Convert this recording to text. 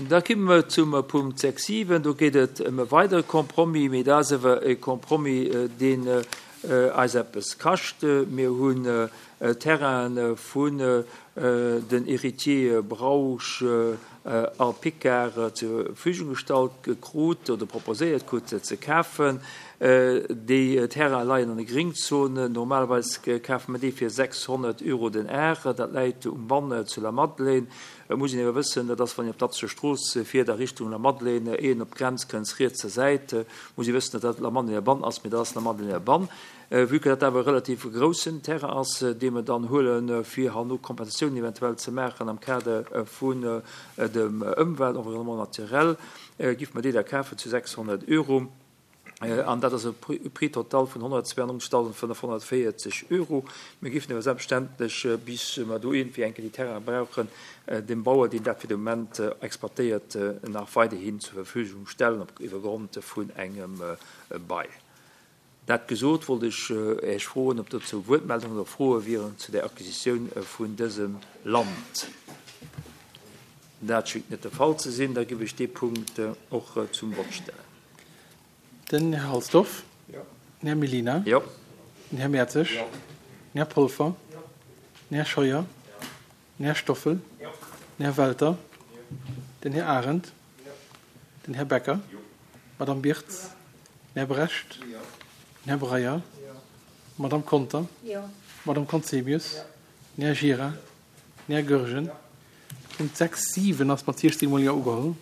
Da komme mer zum Punkt 6, 7. Do geet et ëm e weidere Compromis, mee dat ass awer e Compromis, deen eis eppes kascht. Mir hunn Terraine vun den Héritiers Brausch a Picard zur Verfügung gestallt krut oder proposéiert krut ze kafen. Déi Terraine leien an de Gringzonen. Normalerweis kafe mer déi fir 600 Euro den Ar. Dat läit um Bann zu Lamadelaine. Et muss een awer wëssen, dat ass, wann een op d'Atzeger Strooss fiert a Richtung Lamadelaine, éier een op d'Grenz kënnt, rietser Säit, muss ee wëssen, datt dat Lamadelainer Bann ass, mee dat ass Lamadelainer Bann. Vue que dat awer e relativ groussen Terrain ass, dee mer dann huelen, fir herno Kompensatiounen eventuell ze maachen am Kader vun dem Ëmwelt, Environnement naturel, giff mer déi da kafen zu 600 Euro. An dat ass e Prix total vun 192.540 Euro. Mir géifen awer selbstverständlech, bis mer do iergendwéi eng Kéier déi Terraine brauchen, dem Bauer, deen dat fir de Moment exploitéiert, nach weiderhin zur Verfügung stellen, op iwwer Grond vun engem Bail. Dat gesot, wollt ech Iech froen, ob dozou Wuertmeldungen oder Froe wieren zu der Acquisitioun vun dësem Land. Dat schéngt net de Fall ze sinn. Da géif ech dee Punkt och zum Vott stellen. Den Här Halsdorf. Den Här Mellina. Den Här Mertzig. Den Här Polfer. Den Här Scheuer. Den Här Stoffel. Den Här Welter. Den Här Arendt. Den Här Becker. D'Madame Birtz. Den Här Brecht. Den Här Breyer. D'Madame Conter. D'Madame Conzemius. Den Här Gira. Den Här Goergen. Punkt 6, 7 ass mat 16 mol Jo ugeholl.